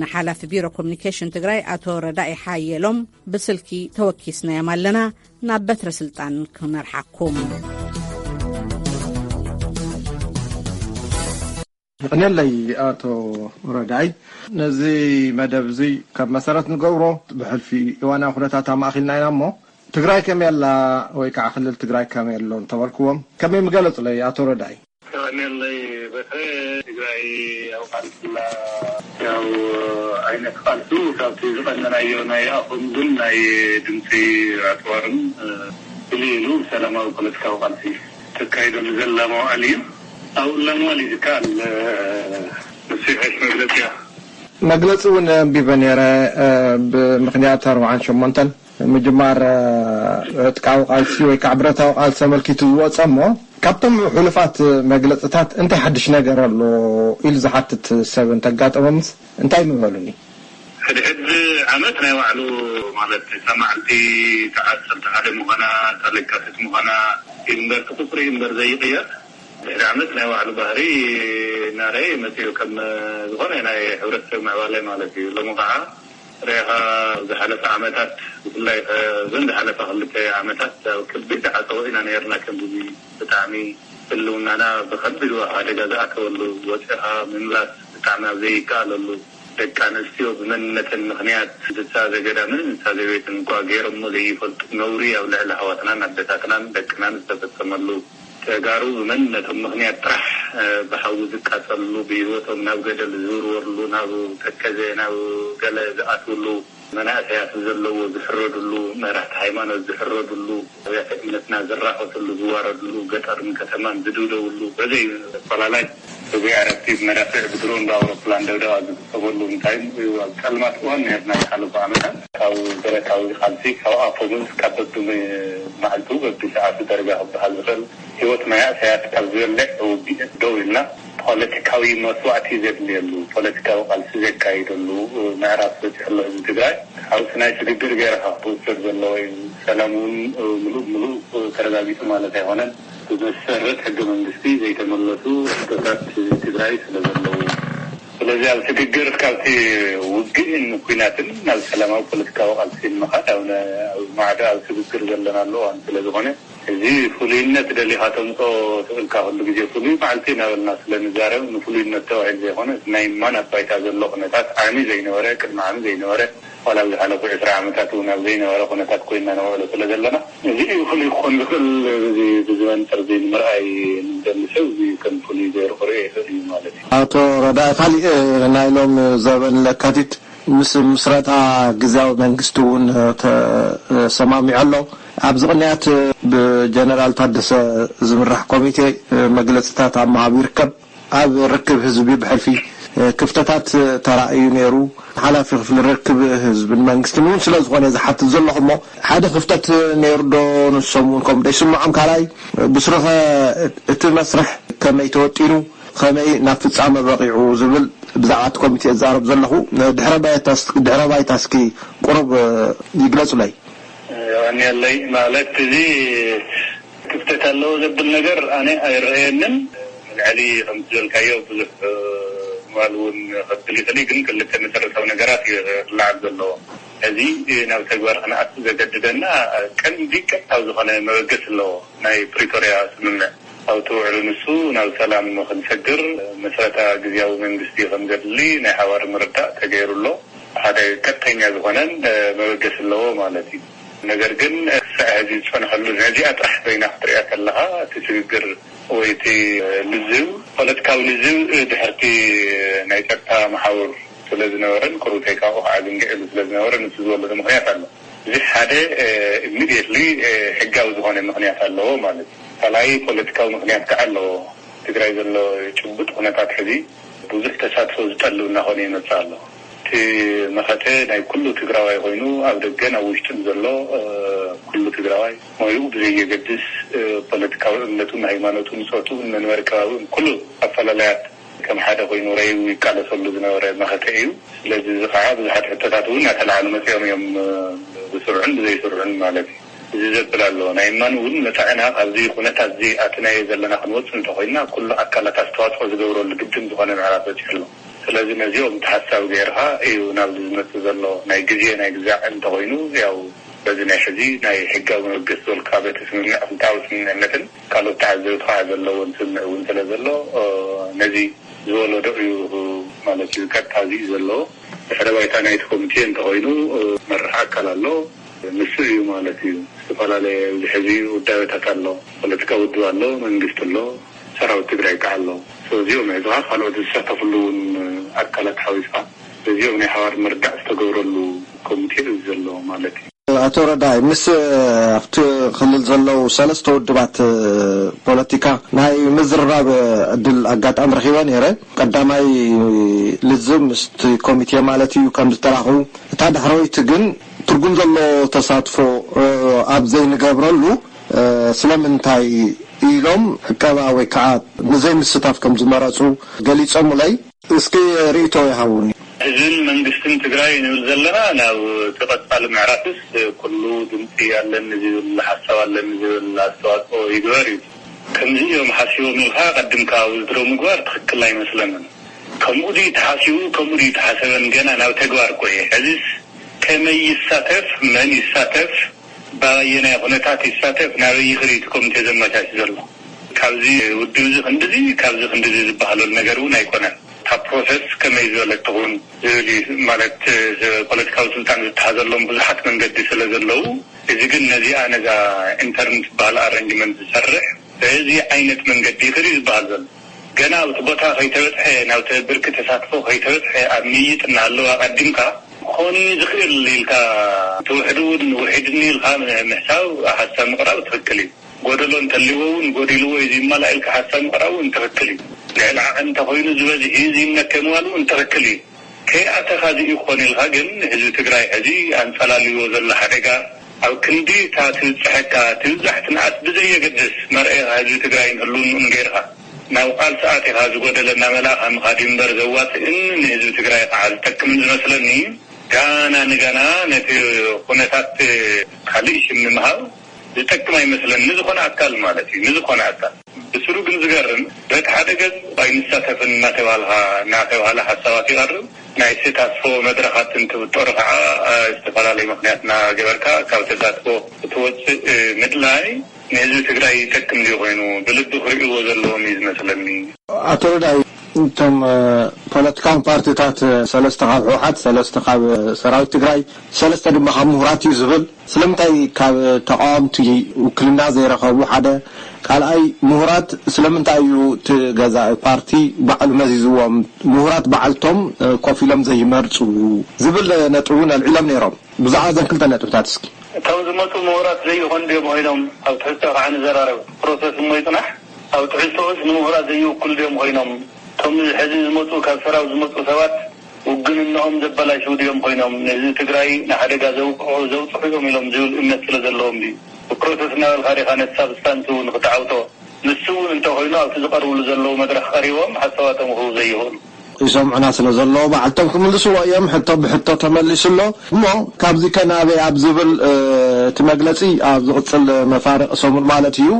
ንሓላፊ ቢሮ ኮሚኒኬሽን ትግራይ ኣቶ ረዳኢ ሓየሎም ብስልኪ ተወኪስናዮም ኣለና። ናብ በትረ ስልጣን ክመርሓኩም። የቐንየለይ ኣቶ ረዳይ። ነዚ መደብ እዚ ካብ መሰረት ንገብሮ፣ ብሕልፊ እዋናዊ ኩነታት ኣማእኪልና ኢና እሞ፣ ትግራይ ከመይ ኣላ ወይ ከዓ ክልል ትግራይ ከመይ ኣሎ እንተበልክዎም ከመይ ምገለጹለይ ኣቶ ረዳይ? የቐንየለይ በትረ። ትግራይ ኣብ ቃልሲ ኣላ። ያው ዓይነት ቃልሲ ካብቲ ዝቐነናዮ ናይ ኣፈሙዝን ናይ ድምፂ ኣፅዋርን፣ እ፣ ፍልይ ኢሉ ሰላማዊ ፖለቲካዊ ቃልሲ ተካይደሉ ዘላ መዋዕል እዩ። ኣብኡ ዘላ መዋዕል እዩ ዝከኣል፣ እ፣ ንሱ ይሕሽ መግለፂ እያ። መግለፂ እውን ኣንቢበ ነይረ፣ እ፣ ብምኽንያት ኣርብዓን ሸሞንተን ምጅማር፣ እ፣ ዕጥቃዊ ቃልሲ ወይ ከዓ ብረታዊ ቃልሲ ተመልኪቱ ዝወፀ እሞ፣ ካብቶም ሕሉፋት መግለፅታት እንታይ ሓድሽ ነገር ኣሎ ኢሉ ዝሓትት ሰብ እንተጋጠሞምስ እንታይ ምበሉኒ? ሕድሕድ ዓመት ናይ ባዕሉ፣ ማለት፣ እታ መዓልቲ፣ እታ ዓሰርተ ሓደ ምዃና፣ እታ ለካቲት ምዃና እዩ እምበር፣ እቲ ቁፅሪ እዩ እምበር ዘይቕየር። ድሕሪ ዓመት ናይ ባዕሉ ባህሪ እናረኣየ መፂኡ፣ ከም ዝኾነ ናይ ሕብረተሰብ ምዕባለ ማለት እዩ። ሎሚ ከዓ ርኢኻ፣ ዝሓለፈ ዓመታት፣ ብፍላይ እዘን ዝሓለፈ ክልተ ዓመታት ኣብ ከቢድ ዓጸቦ ኢና ነርና። ከምዚ ብጣዕሚ ህልውናና ብኸቢድ ሓደጋ ዝኣተወሉ፣ ወፂኻ ምምላስ ብጣዕሚ ኣብ ዘይከኣለሉ፣ ደቂ ኣንስትዮ ብመንነተን ምኽንያት እንስሳ ዘገዳምን እንስሳ ዘቤትን እኳ ገይሮሞ ዘይፈልጡ ነውሪ ኣብ ልዕሊ ኣሕዋትናን ኣደታትናን ደቅናን ዝተፈጸመሉ፣ ተጋሩ ብመንነቶም ምኽንያት ጥራሕ ብሓዊ ዝቃጸልሉ፣ ብህይወቶም ናብ ገደል ዝውርወርሉ፣ ናብ ተከዘ ናብ ገለ ዝኣትውሉ፣ መናእሰያት ዘለዎ ዝሕረድሉ፣ መራሕቲ ሃይማኖት ዝሕረድሉ፣ ኣብያተ እምነትና ዝራኸስሉ፣ ዝዋረድሉ፣ ገጠርን ከተማን ዝድብደብሉ፣ በዘይ ፈላላይ ብዘይ ዕረፍቲ ብመዳፍዕ፣ ብድሮን ብኣውሮፕላን ደብደባ ዝፍጸመሉ፣ እንታይ ኣብ ጸልማት እዋን ነርና ዝሓለፉ ዓመታት። ካብ ብረታዊ ቃልሲ፣ ካብ ኣፈሙዝ፣ ካብ በብመዓልቱ በብሰዓቱ ደረጃ ክበሃል ዝኽእል ህይወት መናእሰያት ካብ ዝበልዕ ውግእ ደው ኢልና፣ ፖለቲካዊ መስዋእቲ ዘድልየሉ፣ ፖለቲካዊ ቃልሲ ዘካይደሉ ምዕራፍ በፂሑ ኣሎ ህዝቢ ትግራይ። ሓውሲ ናይ ስግግር ገይርካ ክውሰድ ዘለዎ እዩ። ሰላም እውን ምሉእ ብምሉእ ተረጋጊፁ ማለት ኣይኮነን። ብመሰረት ሕገ መንግስቲ ዘይተመለሱ ሕቶታት ህዝቢ ትግራይ ስለ ዘለዉ፣ ስለዚ ኣብ ስግግር ካብቲ ውግእን ኩናትን ናብ ሰላማዊ ፖለቲካዊ ቃልሲ ንምኻድ ኣብ ነ-፣ ኣብ ማዕዶ ኣብ ስግግር ዘለና ኣሎ እዋን ስለ ዝኾነ፣ እዚ ፍሉይነት ደሊኻ ተምፅኦ ትኽእልካ፣ ኩሉ ግዜ ፍሉይ መዓልቲ እናበልና ስለ ንዛረብ፣ ንፍሉይነት ተባሂሉ ዘይኮነ፣ እቲ ናይ ማን ኣብ ባይታ ዘሎ ኩነታት ዓሚ ዘይነበረ፣ ቅድሚ ዓሚ ዘይነበረ፣ ዋላ ኣብ ዝሓለፉ ዕስራ ዓመታት እውን ኣብ ዘይነበረ ኩነታት ኮይንና ነውዕሎ ስለ ዘለና፣ እዚ እዩ ፍሉይ ክኾን ዝኽእል። እዚ ብዚ መንፅር እዚ ንምርኣይ ንደሊ ሰብ እዚ ከም ፍሉይ ገይሩ ክርእዮ ይኽእል እዩ ማለት እዩ። ኣቶ ረዳኢ፣ ካሊእ ናይ ሎም ዘበን ለካቲት ምስ ምስረታ ግዝያዊ መንግስቲ እውን ተሰማሚዑ ኣሎ። ኣብዚ ቅንያት ብጀነራል ታደሰ ዝምራሕ ኮሚቴ መግለፅታት ኣብ ምሃብ ይርከብ። ኣብ ርክብ ህዝቢ ብሕልፊ ክፍተታት ተራእዩ ነይሩ። ሓላፊ ክፍሊ ርክብ ህዝብን መንግስትን እውን ስለ ዝኾነ ዝሓትት ዘለኹ እሞ፣ ሓደ ክፍተት ነይሩ ዶ? ንሶም እውን ከምኡ ዶ ይስምዖም? ካልኣይ፣ ብስሩኸ እቲ መስርሕ ከመይ ተወጢኑ፣ ከመይ ናብ ፍጻመ በቒዑ ዝብል ብዛዕባ እቲ ኮሚቴ እዛረብ ዘለኹ። ድሕረ ባይታ፣ ድሕረ ባይታ እስኪ ቁሩብ ይግለጹለይ። የቐንየለይ። ማለት፣ እዚ ክፍተት ኣለዎ ዘብል ነገር ኣነ ኣይረኣየንን። ልዕሊ ከምቲ ዝበልካዮ ብዙሕ ምባል እውን ከብል ይኽእል እዩ፣ ግን ክልተ መሰረታዊ ነገራት እዩ ክለዓል ዘለዎ። እዚ ናብ ተግባር ክንኣቱ ዘገድደና ቀንዲ ቀጥታዊ ዝኾነ መበገሲ ኣለዎ፣ ናይ ፕሪቶርያ ስምምዕ። ኣብቲ ውዕሉ ንሱ ናብ ሰላም ክንሰግር መስረታ ግዝያዊ መንግስቲ ከም ዘድሊ ናይ ሓባር ምርዳእ ተገይሩ ኣሎ። ሓደ ቀጥተኛ ዝኾነን መበገሲ ኣለዎ ማለት እዩ። ነገር ግን ክሳዕ ሕዚ ዝጸንሐሉ፣ ነዚኣ ጥራሕ ኮይና ክትሪኣ ከለኻ፣ እቲ ስግግር ወይ እቲ ልዝብ፣ ፖለቲካዊ ልዝብ ድሕርቲ ናይ ጸጥታ መሓውር ስለ ዝነበረን፣ ቁሩብ ተይካኡ ከዓ ዝንግዕሉ ስለ ዝነበረ፣ ንሱ ዝበለሉ ምኽንያት ኣሎ። እዚ ሓደ ኢሚድየትሊ ሕጋዊ ዝኾነ ምኽንያት ኣለዎ ማለት እዩ። ካልኣይ ፖለቲካዊ ምኽንያት ከዓ ኣለዎ። ትግራይ ዘሎ ጭቡጥ ኩነታት ሕዚ ብዙሕ ተሳትፎ ዝጠልብ እናኾነ ይመጽእ ኣሎ። እቲ መኸተ ናይ ኩሉ ትግራዋይ ኮይኑ፣ ኣብ ደገን ኣብ ውሽጥን ዘሎ ኩሉ ትግራዋይ፣ ሞይኡ ብዘየገድስ፣ ፖለቲካዊ እምነቱን ሃይማኖቱን ፆቱን መንበሪ ከባቢኡን ኩሉ ኣፈላላያት ከም ሓደ ኮይኑ ረይቡ ይቃለሰሉ ዝነበረ መኸተ እዩ። ስለዚ እዚ ከዓ ብዙሓት ሕቶታት እውን እናተለዓሉ መፂኦም እዮም፣ ብስሩዕን ብዘይስሩዕን ማለት እዩ። እዚ ዘብል ኣሎ። ናይ እማን እውን መጻኢና ካብዚ ኩነታት እዚ ኣትናዮ ዘለና ክንወጽእ እንተኾይንና፣ ኩሉ ኣካላት ኣስተዋጽኦ ዝገብረሉ ግድን ዝኾነ ምዕራፍ በጺሑ ኣሎ። ስለዚ ነዚኦም ተሓሳቢ ገይርካ እዩ ናብዚ ዝመጽእ ዘሎ። ናይ ግዜ ናይ ግዛዕ እንተኾይኑ፣ ያው በዚ ናይ ሕዚ ናይ ሕጋዊ መበገሲ ዝበልካ በቲ ስምምዕ ክልተኣዊ ስምምዕነትን ካልኦት ተዓዘብቲ ከዓ ዘለዎን ስምምዕ እውን ስለ ዘሎ፣ ነዚ ዝወለዶ እዩ ማለት እዩ። ቀጥታ እዚ እዩ ዘለዎ። ድሕረ ባይታ ናይቲ ኮሚቴ እንተኾይኑ፣ መራሕ ኣካል ኣሎ። ንሱ እዩ ማለት እዩ። ዝተፈላለየ ኣብዚ ሕዚ ውዳበታት ኣሎ። ፖለቲካ ውድብ ኣሎ፣ መንግስቲ ኣሎ፣ ሰራዊት ትግራይ ከዓ ኣሎ። እዚኦም ሒዝኻ ካልኦት ዝሳተፍሉ እውን ኣካላት ሓዊስካ፣ እዚኦም ናይ ሓባር ምርዳእ ዝተገብረሉ ኮሚቴ እዩ ዘሎ ማለት እዩ። ኣቶ ረዳይ፣ ምስ ኣብቲ ክልል ዘለዉ ሰለስተ ውድባት ፖለቲካ ናይ ምዝርራብ ዕድል ኣጋጣሚ ረኺበ ነይረ። ቀዳማይ ልዝብ ምስቲ ኮሚቴ ማለት እዩ ከም ዝተራኸቡ፣ እታ ዳሕረወይቲ ግን ትርጉም ዘለዎ ተሳትፎ ኣብ ዘይንገብረሉ ስለምንታይ ኢሎም ዕቀባ ወይ ከዓ ንዘይምስታፍ ከም ዝመረፁ ገሊፆምለይ። እስኪ ርእይቶ ይሃቡኒ። ህዝብን መንግስትን ትግራይ ንብል ዘለና፣ ናብ እቲ ቀፃሊ ምዕራፍስ ኩሉ ድምፂ ኣለኒ ዝብል፣ ሓሳብ ኣለኒ ዝብል ኣስተዋፅኦ ይግበር እዩ። ከምዚ እዮም ሓሲቦም ኢልካ ቀድምካ ውድድሮ ምግባር ትኽክል ኣይመስለንን። ከምኡ ድዩ ተሓሲቡ፣ ከምኡ ድዩ ተሓሰበን ገና ናብ ተግባር እኮ እየ። ሕዚስ ከመይ ይሳተፍ፣ መን ይሳተፍ፣ በየናይ ኩነታት ይሳተፍ፣ ናበይ ይኽድ እቲ ኮሚቴ ዘመቻች ዘሎ። ካብዚ ውድብ እዚ ክንድዚ፣ ካብዚ ክንድዚ ዝበሃለሉ ነገር እውን ኣይኮነን። እታ ፕሮሰስ ከመይ ዝበለት ትኹን ዝብል እዩ። ማለት፣ ፖለቲካዊ ስልጣን ዝተሓዘሎም ብዙሓት መንገዲ ስለ ዘለዉ፣ እዚ ግን ነዚኣ፣ ነዛ ኢንተርን ዝበሃል ኣረንጅመንት ዝሰርሕ በዚ ዓይነት መንገዲ ይኽድ እዩ ዝበሃል ዘሎ። ገና ኣብቲ ቦታ ከይተበፅሐ፣ ናብቲ ብርኪ ተሳትፎ ከይተበፅሐ፣ ኣብ ምይይጥ እናሃለወ ኣቐዲምካ ክኾን እዩ ዝኽእል ኢልካ፣ እቲ ውሕዱ እውን ውሒድኒ ኢልካ ምሕሳብ፣ ሓሳብ ምቕራብ ትኽክል እዩ። ጎደሎ እንተልዎ እውን ጎዲልዎ እዩ ዝመላእ ኢልካ ሓሳብ ምቕራብ እውን ትኽክል እዩ። ልዕሊ ዓቐን እንተኾይኑ ዝበዝሕ እዩ ዝይነከ ምባል እውን ትኽክል እዩ። ከይኣተኻ እዚ እዩ ክኾን ኢልካ ግን ህዝቢ ትግራይ ሕዚ ኣንጸላልዎ ዘሎ ሓደጋ ኣብ ክንዲ እታ ትብጽሐካ ትብዛሕ ትንኣስ ብዘየገድስ መርኣኻ ህዝቢ ትግራይን ህልውንኡን ገይርካ ናብ ቃልሲ ኣቲኻ ዝጎደለ እናመላእኻ ምኻድ እዩ እምበር ዘዋፅእን ንህዝቢ ትግራይ ከዓ ዝጠቅምን ዝመስለኒ ጋና ንጋና ነቲ ኩነታት ካልእ ሽም ንምሃብ ዝጠቅም ኣይመስለኒ ንዝኾነ ኣካል ማለት እዩ። ንዝኾነ ኣካል ብስሩ ግን ዝገርም በቲ ሓደ ገፅ ኣይንሳተፍን እናተባልካ እናተባህለ ሓሳባት ይቐርብ። ናይ ተሳትፎ መድረኻት እንትብጠሩ ከዓ ዝተፈላለዩ ምክንያት እናገበርካ ካብ ተሳትፎ ክትወፅእ ምድላይ ንህዝቢ ትግራይ ይጠቅም ድዩ ኮይኑ ብልቢ ክርእይዎ ዘለዎም እዩ ዝመስለኒ። ኣቶ ረዳይ፣ እቶም ፖለቲካዊ ፓርቲታት ሰለስተ ካብ ህወሓት፣ ሰለስተ ካብ ሰራዊት ትግራይ፣ ሰለስተ ድማ ካብ ምሁራት እዩ ዝብል። ስለምንታይ ካብ ተቃወምቲ ውክልና ዘይረኸቡ? ሓደ ካልኣይ፣ ምሁራት ስለምንታይ እዩ እቲ ገዛኢ ፓርቲ ባዕሉ መዚዝዎም? ምሁራት ባዕልቶም ኮፍ ኢሎም ዘይመርፁ ዝብል ነጥቢ እውን ኣልዒሎም ነይሮም። ብዛዕባ እዘን ክልተ ነጥብታት እስኪ። እቶም ዝመፁ ምሁራት ዘይኾኑ ድዮም ኮይኖም ኣብ ትሕዝቶ ከዓ ንዘራረብ ፕሮሰስ እሞ ይፅናሕ። ኣብ ትሕዝቶኡስ ንምሁራት ዘይውክሉ ድዮም ኮይኖም? እቶም ሕዚ ዝመፁ ካብ ሰራዊት ዝመፁ ሰባት ውግንነኦም ዘበላሽው ድዮም ኮይኖም ንህዝቢ ትግራይ ንሓደጋ ዘውቅዑ ዘውፅሑ እዮም ኢሎም ዝብል እምነት ስለ ዘለዎም ድዩ? ብፕሮሰስ እናበልካ ዲኻ ነቲ ሳብስታንስ እውን ክትዓውቶ? ንሱ እውን እንተኮይኑ ኣብቲ ዝቐርብሉ ዘለዉ መድረኽ ቀሪቦም ሓሳባቶም ክህቡ ዘይኽእሉ? ይሰምዑና ስለ ዘለዉ ባዕልቶም ክምልስዎ እዮም። ሕቶ ብሕቶ ተመሊሱ ኣሎ። እሞ ካብዚ ከ ናበይ ኣብ ዝብል እቲ መግለፂ ኣብ ዝቕፅል መፋርቕ ሰሙን ማለት እዩ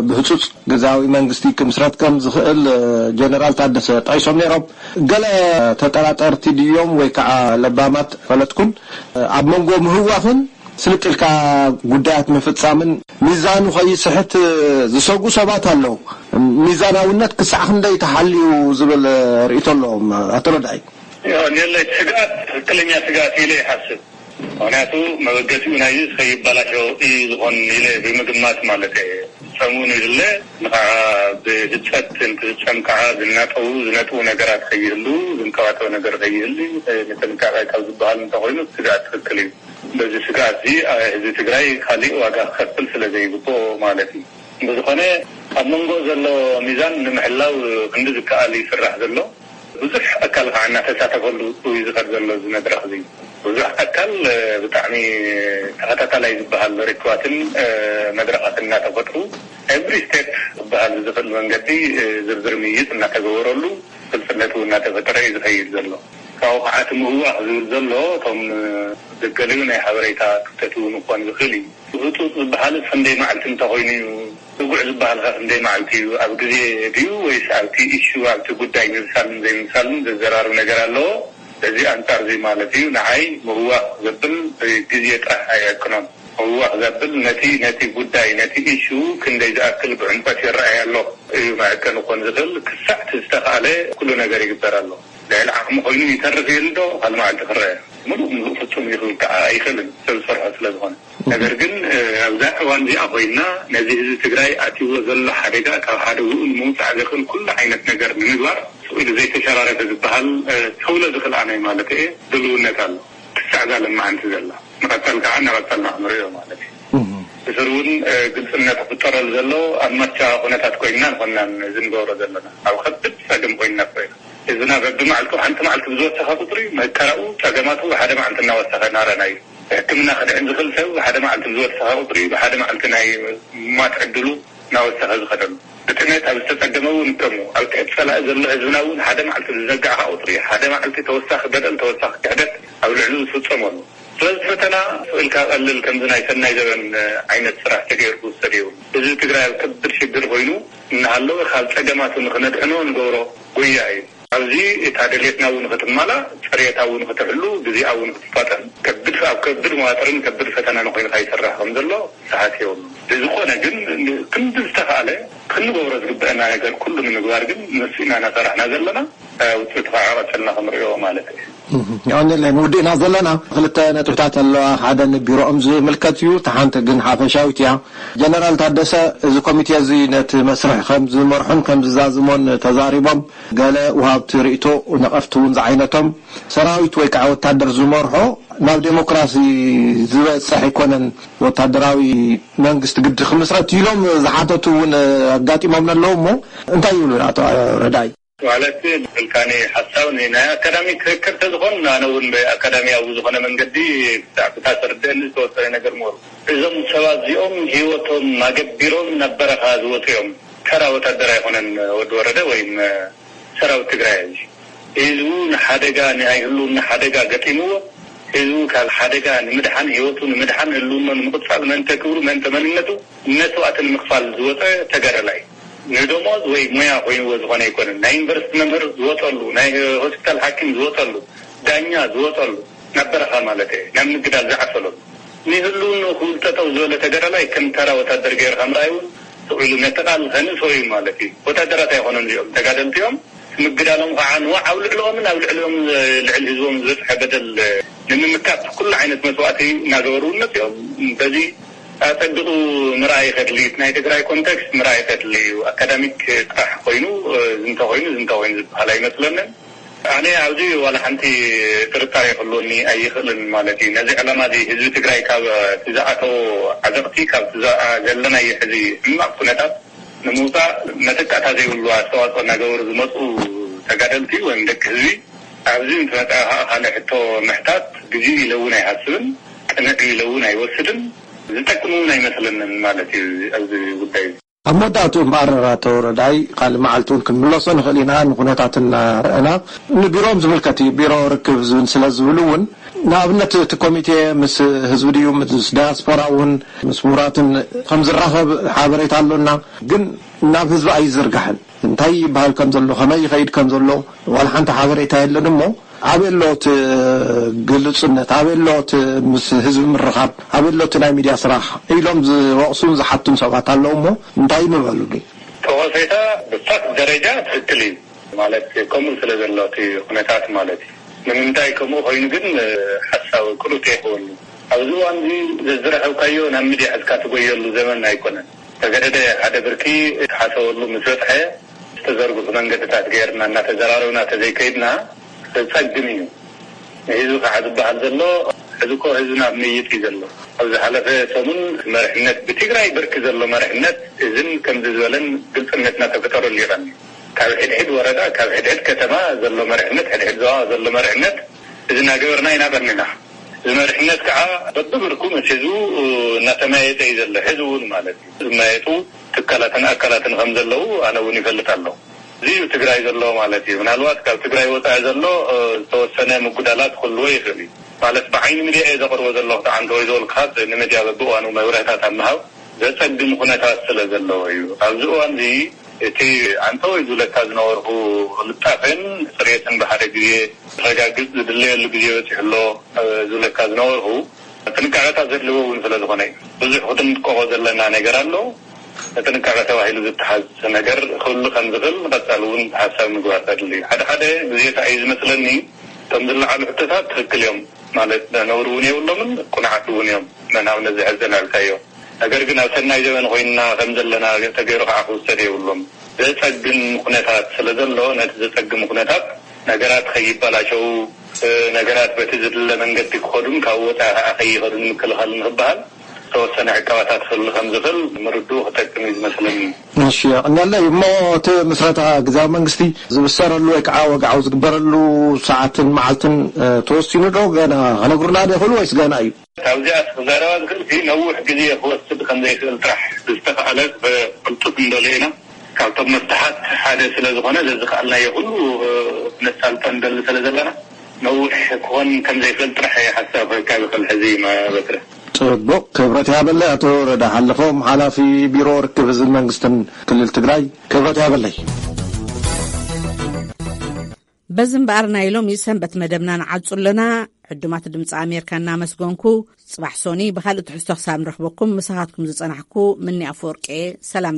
ብህፁፅ ግዝያዊ መንግስቲ ክምስረት ከም ዝኽእል ጀነራል ታደሰ ጠቒሶም ነይሮም። ገለ ተጠራጠርቲ ድዮም ወይ ከዓ ለባማት ፈለጥኩን ኣብ መንጎ ምህዋኽን ስልጥ ኢልካ ጉዳያት ምፍፃምን ሚዛኑ ከይስሕት ዝሰጉ ሰባት ኣለዉ። ሚዛናውነት ክሳዕ ክንደይ ተሓልዩ ዝብል ርእይቶ ኣለዎም ኣቶ ረዳይ። ኔለ ስግኣት ትክክለኛ ስግኣት ኢለ ይሓስብ። ምክንያቱ መበገሲኡ ናይዚ ከይበላሸው እዩ ዝኾን ኢለ ብምግማት ማለት እየ። ሰሙን ይድለ ንኸዓ ብህፀት እንትፍፀም ከዓ ዝናጠቡ ዝነጥቡ ነገራት ከይህሉ ዝንቀባጠብ ነገር ከይህሉ ንጥንቃቄ ካብ ዝበሃል እንተኮይኑ ስግኣት ትክክል እዩ። በዚ ስግኣት እዚ ህዝቢ ትግራይ ካሊእ ዋጋ ክኸፍል ስለ ዘይግብኦ ማለት እዩ። ብዝኾነ ኣብ መንጎ ዘሎ ሚዛን ንምሕላው ክንዲ ዝከኣል ይስራሕ ዘሎ። ብዙሕ ኣካል ከዓ እናተሳተፈሉ እዩ ዝኸድ ዘሎ እዚ መድረኽ እዚ። ብዙሕ ኣካል ብጣዕሚ ተኸታታላይ ዝበሃል ርክባትን መድረኻትን እናተፈጥሩ every step ዝበሃል ዝኽእል መንገዲ ዝርዝር ምይይጥ እናተገበረሉ ግልፅነት እውን እናተፈጠረ እዩ ዝኸይድ ዘሎ። ካብኡ ከዓ እቲ ምህዋኽ ዝብል ዘሎ እቶም ዘገለዩ ናይ ሓበሬታ ክፍተት እውን ክኾን ዝኽእል እዩ። ህፁፅ ዝበሃልስ ክንደይ መዓልቲ እንተኾይኑ እዩ? ስጉዕ ዝበሃል ከ ክንደይ መዓልቲ እዩ? ኣብ ግዜ ድዩ ወይስ ኣብቲ ኢሹ ኣብቲ ጉዳይ ምብሳልን ዘይምብሳልን ዘዘራርብ ነገር ኣለዎ? በዚ ኣንፃር እዚ ማለት እዩ ንዓይ ምህዋኽ ዘብል ግዜ ጥራሕ ኣይዕቅኖን። ምህዋኽ ዘብል ነቲ ነቲ ጉዳይ ነቲ ኢሹ ክንደይ ዝኣክል ብዕምቆት ይረኣይ ኣሎ እዩ መዐቀኒ ክኾን ዝኽእል። ክሳዕ እቲ ዝተኽኣለ ኩሉ ነገር ይግበር ኣሎ። ልዕሊ ዓቕሚ ኮይኑ ይተርፍ ይህል ዶ? ካልእ መዓልቲ ክረአ። ምሉእ ምሉእ ፍጹም እዩ ክብል ከዓ ኣይኽእልን ሰብ ዝሰርሖ ስለ ዝኾነ። ነገር ግን ኣብዛ እዋን እዚኣ ኮይና ነዚ ህዝቢ ትግራይ ኣትይዎ ዘሎ ሓደጋ ካብ ሓደግኡ ንምውፃእ ዘኽእል ኩሉ ዓይነት ነገር ንምግባር ስቕ ኢሉ ዘይተሸራረፈ ዝበሃል ተውለ ዝኽእል ኣነ ማለት እየ ድልውነት ኣሎ። ክሳዕ እዛ ለማዓንቲ ዘላ ንቐፃል ከዓ እናቐፃልና ክንሪኦ ማለት እዩ። ብስሩ እውን ግልፅነት ክፍጠረሉ ዘሎ ኣብ ማቻ ኩነታት ኮይንና ንኮናን እዚ ንገብሮ ዘለና ኣብ ከብድ ፀገም ኮይንና ኮይና ህዝብና በብመዓልቱ ሓንቲ መዓልቲ ብዝወሰኸ ቁፅሪ መከራኡ ፀገማቱ ብሓደ መዓልቲ እናወሰኸ እናረና እዩ። ሕክምና ክድሕን ዝኽእል ሰብ ብሓደ መዓልቲ ብዝወሰኸ ቁፅሪ ብሓደ መዓልቲ ናይ ምማት ዕድሉ እናወሰኸ ዝኸደሉ ብጥሜት ኣብ ዝተፀገመ እውን ከሙ ኣብ ትሕቲ ፀላኢ ዘሎ ህዝብና እውን ሓደ መዓልቲ ብዝዘጋዕካ ቁፅሪ ሓደ መዓልቲ ተወሳኺ በደል ተወሳኺ ክሕደት ኣብ ልዕሉ ዝፍፀመሉ ስለዚ ፈተና ስቕ ኢልካ ቀልል ከምዚ ናይ ሰናይ ዘበን ዓይነት ስራሕ ተገይሩ ክውሰድ የብሉ። ህዝቢ ትግራይ ኣብ ከቢድ ሽግር ኮይኑ እናሃለወ ካብ ፀገማቱ ንክነድሕኖ ንገብሮ ጉያ እዩ። ኣብዚ እታ ድሌትና እውን ክትማላ፣ ፅሬታ እውን ክትሕሉ፣ ግዜኣ እውን ክትፋጠን ከብድ ኣብ ከብድ መዋጥርን ከብድ ፈተናን ኮይኑ ከይሰርሕ ከም ዘሎ ሰሓት እዮም። ብዝኾነ ግን ክንዲ ዝተኻለ ክንገብሮ ዝግበአና ነገር ኩሉ ንምግባር ግን ንሱ ኢና እናሰራሕና ዘለና። ውፅኢቱ ከዓ ቀፅልና ክንሪኦ ማለት እዩ። ኣነ ንውድእና ዘለና ክልተ ነጥብታት ኣለዋ። ሓደ ንቢሮኦም ዝምልከት እዩ፣ እታ ሓንቲ ግን ሓፈሻዊት እያ። ጀነራል ታደሰ፣ እዚ ኮሚቴ እዚ ነቲ መስርሕ ከም ዝመርሑን ከም ዝዛዝሞን ተዛሪቦም፣ ገለ ውሃብቲ ርእቶ፣ ነቐፍቲ እውን ዝዓይነቶም፣ ሰራዊት ወይ ከዓ ወታደር ዝመርሖ ናብ ዴሞክራሲ ዝበፅሕ ኣይኮነን፣ ወታደራዊ መንግስቲ ግዲ ክምስረት ኢሎም ዝሓተቱ እውን ኣጋጢሞም ኣለዉ። እሞ እንታይ ይብሉ ኣቶ ረዳይ? ማለት ብልካኒ ሓሳብ ናይ ኣካዳሚ ክክር ተዝኾን ኣነ እውን ብኣካዳሚያዊ ዝኾነ መንገዲ ብዛዕባ ተርድአኒ ዝተወሰነ ነገር ምሩ። እዞም ሰባት እዚኦም ህይወቶም ኣገቢሮም ናብ በረኻ ዝወፁ እዮም። ተራ ወታደር ኣይኮነን ወዲ ወረደ ወይም ሰራዊት ትግራይ እዚ ህዝቡ ንሓደጋ ናይ ህልውና ሓደጋ ገጢምዎ ህዝቡ ካብ ሓደጋ ንምድሓን ህይወቱ ንምድሓን ህልውኖ ንምቕፃል መእንተ ክብሩ መእንተ መንነቱ መስዋእቲ ንምኽፋል ዝወፀ ተጋዳላይ ንደሞዝ ወይ ሙያ ኮይንዎ ዝኾነ ኣይኮነን። ናይ ዩኒቨርሲቲ መምህር ዝወፀሉ፣ ናይ ሆስፒታል ሓኪም ዝወፀሉ፣ ዳኛ ዝወፀሉ ናብ በረኻ ማለት እየ ናብ ምግዳል ዝዓሰለሉ ንህልውንኡ ክብል ጠጠው ዝበለ ተጋዳላይ ከም ተራ ወታደር ገይርካ ምርኣይ እውን ስቕ ኢሉ ነቲ ቃል ከንእሶ እዩ ማለት እዩ። ወታደራት ኣይኮኑን እዚኦም ተጋደልቲ እዮም። ምግዳሎም ከዓ ንዋዕ ኣብ ልዕልኦምን ኣብ ልዕልኦም ልዕሊ ህዝቦም ዝበፅሐ በደል ንምምካት ኩሉ ዓይነት መስዋእቲ እናገበሩ እውን መፅኦም። በዚ ኣፀቢቑ ምርኣይ ከድሊ ናይ ትግራይ ኮንቴክስት ምርኣይ ከድሊ እዩ። ኣካዳሚክ ጥራሕ ኮይኑ ዝንተ ኮይኑ ዝንተ ኮይኑ ዝበሃል ኣይመስለንን። ኣነ ኣብዚ ዋላ ሓንቲ ጥርጣሬ ክህልወኒ ኣይኽእልን ማለት እዩ። ነዚ ዕላማ እዚ ህዝቢ ትግራይ ካብ እቲ ዝኣተዎ ዓዘቕቲ ካብ ዘለናዮ ሕዚ ሕማቕ ኩነታት ንምውፃእ መተካእታ ዘይብሉ ኣስተዋፅኦ እናገበሩ ዝመፁ ተጋደልቲ ወይም ደቂ ህዝቢ ኣብዚ ምስ መፅኣ ከዓ ካልእ ሕቶ ምሕታት ግዜ ኢለ እውን ኣይሃስብን፣ ቅንዕ ኢለ እውን ኣይወስድን፣ ዝጠቅም እውን ኣይመስለንን ማለት እዩ ኣብዚ ጉዳይ እዚ። ኣብ መወዳእትኡ እምበኣር ኣቶ ረዳይ ካልእ መዓልቲ እውን ክንምለሶ ንኽእል ኢና ንኩነታት እናረኣና ንቢሮኦም ዝምልከት እዩ ቢሮ ርክብ ዝብል ስለ ዝብሉ እውን ንኣብነት እቲ ኮሚቴ ምስ ህዝቢ ድዩ ምስ ዳያስፖራ እውን ምስ ምሁራትን ከም ዝራኸብ ሓበሬታ ኣሎና ግን ናብ ህዝቢ ኣይዝርጋሕን እንታይ ይበሃል ከም ዘሎ ከመይ ይኸይድ ከም ዘሎ ዋላ ሓንቲ ሓበሬታ የለን እሞ ኣበይ ኣሎ እቲ ግልፁነት ኣበይ ኣሎ እቲ ምስ ህዝቢ ምርኻብ ኣበይ ኣሎ እቲ ናይ ሚድያ ስራሕ ኢሎም ዝወቕሱን ዝሓቱን ሰባት ኣለዉ እሞ እንታይ ምበሉኒ? ጠቐሴታ ብፋክት ደረጃ ትክክል እዩ ማለት ከምኡ ስለ ዘሎ እቲ ኩነታት ማለት እዩ። ንምንታይ ከምኡ ኮይኑ ግን ሓሳብ ቅሉጥ የኸውን። ኣብዚ እዋን እዚ ዘዝረኸብካዮ ናብ ሚድያ ሕዝካ ትጎየሉ ዘመን ኣይኮነን። ተገደደ ሓደ ብርኪ ተሓሰበሉ ምስ በፅሐ ዝተዘርግሑ መንገድታት ገይርና እናተዘራረብና ተዘይከይድና ዘፀግም እዩ። ንህዝቢ ከዓ ዝበሃል ዘሎ ሕዚ እኮ ህዝብና ኣብ ምይጥ እዩ ዘሎ። ኣብ ዝሓለፈ ሰሙን መርሕነት ብትግራይ ብርኪ ዘሎ መርሕነት እዝን ከምዚ ዝበለን ግልፅነት እናተፈጠረሉ ይቐኒ። ካብ ሕድሕድ ወረዳ ካብ ሕድሕድ ከተማ ዘሎ መርሕነት ሕድሕድ ዞባ ዘሎ መርሕነት እዚ እናገበርና ኢና ቀኒና። እዚ መርሕነት ከዓ በብብርኩ ምስ ህዝቡ እናተመያየጠ እዩ ዘሎ። ሕዚ እውን ማለት እዩ ዝመያየጡ ትካላትን ኣካላትን ከም ዘለዉ ኣነ እውን ይፈልጥ ኣለኹ። እዚ እዩ ትግራይ ዘሎ ማለት እዩ። ምናልባት ካብ ትግራይ ወፃኢ ዘሎ ዝተወሰነ ምጉዳላት ክህልዎ ይኽእል እዩ። ማለት ብዓይኒ ሚድያ እየ ዘቕርቦ ዘለኹ። ተዓንተ ወይ ዝበልካት ንሚድያ በብእዋኑ መብርህታት ኣብ ምሃብ ዘፀግም ኩነታት ስለ ዘለዎ እዩ። ኣብዚ እዋን እዚ እቲ ዓንተ ወይ ዝብለካ ዝነበርኩ ቅልጣፈን ፅሬትን ብሓደ ግዜ ክረጋግፅ ዝድለየሉ ግዜ በፂሑ ኣሎ ዝብለካ ዝነበርኩ ጥንቃቐታት ዘድልዎ እውን ስለ ዝኾነ እዩ። ብዙሕ ክትንቀቆ ዘለና ነገር ኣሎ። ጥንቃቐ ተባሂሉ ዝተሓዝ ነገር ክህሉ ከም ዝኽእል ንቐፃሊ እውን ሓሳብ ምግባር ከድሊ እዩ። ሓደ ሓደ ግዜታ እዩ ዝመስለኒ እቶም ዝለዓሉ ሕቶታት ትኽክል እዮም ማለት ነውሪ እውን የብሎምን ቁኑዓት እውን እዮም። ንኣብነት እዚ ሕዚ ዘልዐልካዮ ነገር ግን ኣብ ሰናይ ዘበን ኮይንና ከም ዘለና ተገይሩ ከዓ ክውሰድ የብሉን። ዘፀግም ኩነታት ስለ ዘሎ ነቲ ዘፀግም ኩነታት ነገራት ከይበላሸው ነገራት በቲ ዝድለ መንገዲ ክኸዱን ካብ ወፃኢ ከዓ ከይኸዱን ምክልኻል ንክበሃል ዝተወሰነ ዕቀባታት ክህሉ ከም ዝኽእል ምርድኡ ክጠቅም እዩ ዝመስለኒ። እሺ የቐንየለይ። እሞ እቲ ምስረታ ግዝያዊ መንግስቲ ዝብሰረሉ ወይ ከዓ ወግዓዊ ዝግበረሉ ሰዓትን መዓልትን ተወሲኑ ዶ ገና ከነግሩና ዶ ይኽእሉ ወይስ ገና እዩ? ካብዚኣ ክዛረባ ዝኽእል ነዊሕ ግዜ ክወስድ ከም ዘይክእል ጥራሕ ዝተኸኣለ ብቅልጡፍ ንደልዮ ኢና። ካብቶም መፍትሓት ሓደ ስለ ዝኾነ ዘዝኸኣልናዮ ኩሉ ነሳልጦ ንደሊ ስለ ዘለና ነዊሕ ክኾን ከም ዘይክእል ጥራሕ እየ ሓሳብ ክህብ ይኽእል ሕዚ በትረ። ፅቡቕ ክብረት ይሃበለይ ኣቶ ረዳ ሓለፎም ሓላፊ ቢሮ ርክብ ህዝብን መንግስትን ክልል ትግራይ ክብረት ይሃበለይ። በዚ እምበኣር ናይ ሎሚ ሰንበት መደብና ንዓጹ ኣለና። ዕዱማት ድምፂ ኣሜሪካ እናመስገንኩ፣ ጽባሕ ሶኒ ብኻልእ ትሕዝቶ ክሳብ ንረኽበኩም፣ ምሳኻትኩም ዝጸናሕኩ ምኒ ኣፈወርቂ። ሰላም።